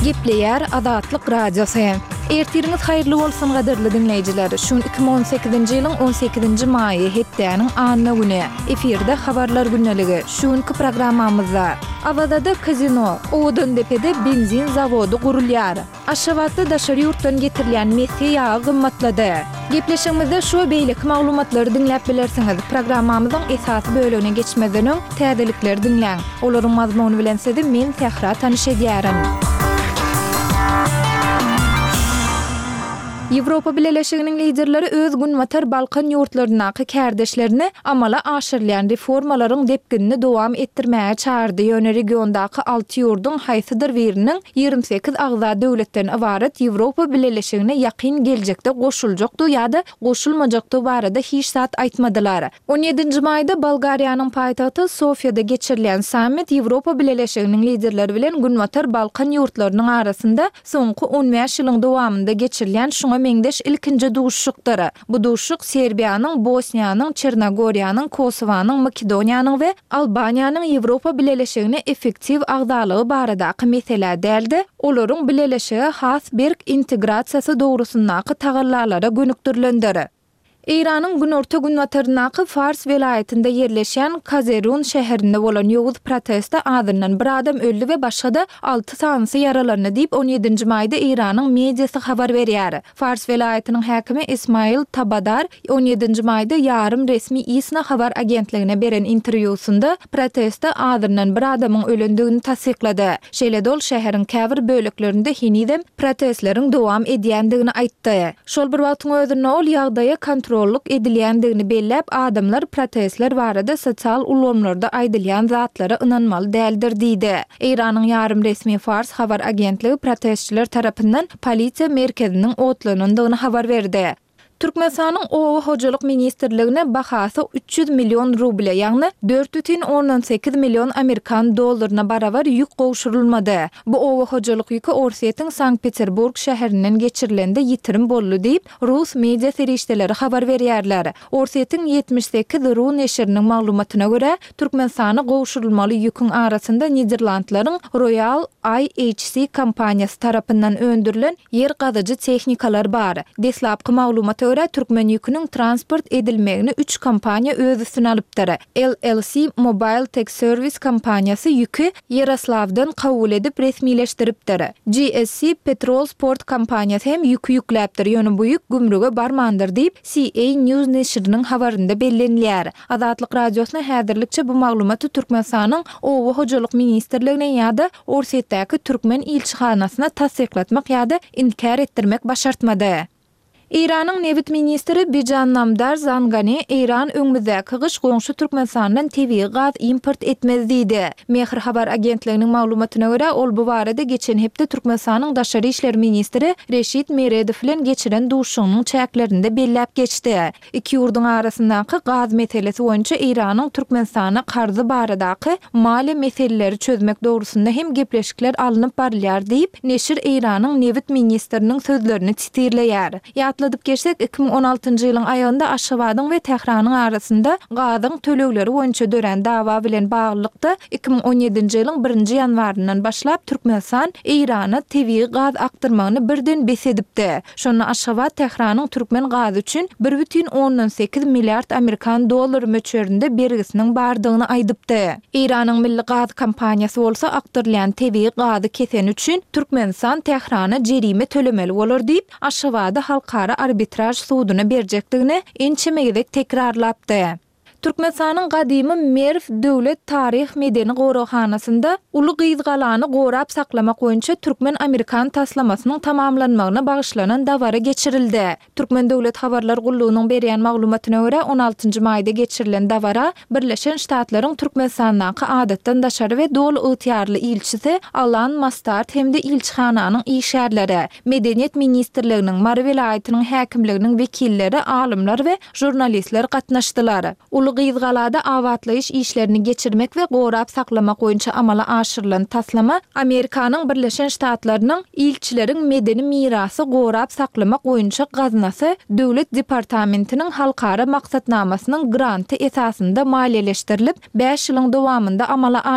Gepleýär Azatlyk Radiosy. Ertiriňiz haýyrly bolsun gadyrly diňleýjiler. Şu gün 2018-nji ýylyň 18-nji maýy, hepdäniň anna güni. Efirde Habarlar gündeligi. Şu günki programmamyzda. Awazada kazino, Owadandepede benzin zawody gurulýar. Aşgabatda daşary ýurtdan getirilýän mesge ýagy gymmatlady. Gepleşigimizde şu we beýleki maglumatlary diňläp bilersiňiz. Programmamyzyň esasy bölegine geçmezden öň, täzelikleri diňläň. Olaryň mazmuny bilen sizi men Sähra tanyş edýärin. Ýewropa Bileleşiginiň liderleri öz Günbatar Balkan ýurtlaryndaky kärdeşlerini amala aşyrylýan reformalaryň depginini dowam etdirmäge çagyrdy, ýöne regiondaky alty ýurduň haýsydyr biriniň 28 agza döwletden ybarat Ýewropa Bileleşigine ýakyn geljekde goşuljakdygy ýa-da goşulmajakdygy barada hiç zat aýtmadylar. On ýedinji maýda Bolgariýanyň paýtagty Sofiýada geçirilýän sammit Ýewropa Bileleşiginiň liderleri bilen Günbatar Balkan ýurtlarynyň arasynda soňky on bäş ýylyň dowamynda geçirilýän şuňa meňzeş ilkinji duşuşykdyr. Bu duşuşyk Serbiýanyň, Bosniýanyň, Çernogoriýanyň, Kosowanyň, Makedoniýanyň we Albaniýanyň Ýewropa Bileleşigine effektiw agzalygy baradaky meselä däl-de, olaryň Bileleşige has berk integrasiýasy dogrusyndaky tagallalara gönükdirilendir. Eýranyň günorta-günbataryndaky Fars welaýatynda ýerleşýän Kazerun şäherinde bolan ýowuz protestde azyndan bir adam öldi we başga-da alty sanysy ýaralandy diýip, on ýedinji maýda Eýranyň mediasy habar berýär. Fars welaýatynyň häkimi Ismail Tabadar on ýedinji maýda ýarym resmi ISNA habar agentligine beren interwýusynda protestde azyndan bir adamyň ölendigini tassyklady. Şeýle-de ol şäheriň käbir böleklerinde henizem protestleriň dowam edýändigini aýtdy. Şol bir wagtyň özünde ol ýagdaýa kontrollyk edilýändigini belläp, adamlar protestler barada sosial ulgamlarda aýdylýan zatlara ynanmaly däldir diýdi. Eýranyň ýarym resmi Fars habar agentligi protestçiler tarapyndan polisiýa merkeziniň otlanandygyny habar berdi. Türkmenistanyň Oba hojalyk ministrligine bahasy 300 million ruble, ýagny 4,8 million amerikan dollaryna barabar ýük gowşurylmady. Bu oba hojalyk ýüki Orsýetiň Sankt-Peterburg şäherinden geçirilende ýitirim boldy diýip, rus media serişdeleri habar berýärler. Orsýetiň 78 ru neşiriniň maglumatyna görä, Türkmenistana gowşurylmaly ýüküň arasynda Niderlandlaryň Royal IHC kompaniýasy tarapyndan öndürilen ýer gazyjy tehnikalar bar. Deslapky maglumata görä, türkmen ýüküniň transport edilmegini üç kompaniýa öz üstüne alypdyr. LLC Mobile Tech Service kompaniýasy ýüki Ýeroslawdan kabul edip resmileşdiripdir. GSC Petrol Sport kompaniýasy hem ýüki ýükläpdir, ýöne bu ýük gümrüge barmandyr diýip, CA News neşiriniň habarynda bellenilýär. Azatlyk Radiosyna häzirlikçe bu maglumaty Türkmenistanyň Oba hojalyk ministrligine ýa-da Orsýetdäki türkmen ilçihanasyna tassyklatmak ýa-da inkär etdirmek başartmady. Eýranyň nebit ministri Bijan Namdar Zangane Eýran öňümizdäki gyş goňşy Türkmenistandan tebigy gaz import etmez diýdi. Mehr habar agentliginiň maglumatyna görä, ol bu barada geçen hepde Türkmenistanyň daşary işler ministri Reşit Meredow bilen geçiren duşuşygynyň çäklerinde belläp geçdi. Iki ýurduň arasyndaky gaz meselesi boýunça Eýranyň Türkmenistana karzy baradaky maliýe meseleleri çözmek dogrusynda hem gepleşikler alnyp barylýar diýip, neşir Eýranyň nebit ministriniň sözlerini sitirleýär. Ýatladyp geçsek, 2016-njy ýylyň aýagynda Aşgabadyň we Tähranyň arasynda gazyň tölegleri boýunça dörän dawa bilen baglylykda, 2017-nji ýylyň birinji ýanwaryndan başlap Türkmenistan Eýrana tebigy gaz akdyrmagyny birden bes edipdi. Şonda Aşgabat Tähranyň türkmen gazy üçin bir bütin ondan sekiz milliard amerikan dollary möçberinde bergisiniň bardygyny aýdypdy. Eýranyň milli gaz kompaniýasy bolsa akdyrylýan tebigy gazy keseni üçin Türkmenistan Tährana jerime tölemeli bolar diýip, Aşgabady halkara arbitraž suduna berjekdigini ençeme gezek tekrarlapdy. Türkmenistanyň gadymy Merw döwlet taryh-medeni goraghanasynda Uly Gyzgalany gorap saklamak boýunça türkmen-amerikan taslamasynyň tamamlanmagyna bagyşlanan dabara geçirildi. Türkmen döwlet habarlar gullugynyň berýän maglumatyna görä, on altynjy maýda geçirilen dabara Birleşen Ştatlaryň Türkmenistandaky Adatdan daşary we Doly ygtyýarly ilçisi Alan Mastard hem-de ilçihananyň işgärleri, Medeniýet ministrliginiň, Mary welaýatynyň häkimliginiň wekilleri, alymlar we žurnalistler gatnaşdylar. Uly Gyzgalada abatlaýyş işlerini geçirmek we gorap saklamak boýunça amala aşyrylan taslama Amerikanyň Birleşen Ştatlarynyň Ilçileriň medeni mirasy gorap saklamak boýunça gaznasy Döwlet departamentiniň halkara maksatnamasynyň granty esasynda maliýeleşdirilip, bäş ýylyň dowamynda amala aşyryldy.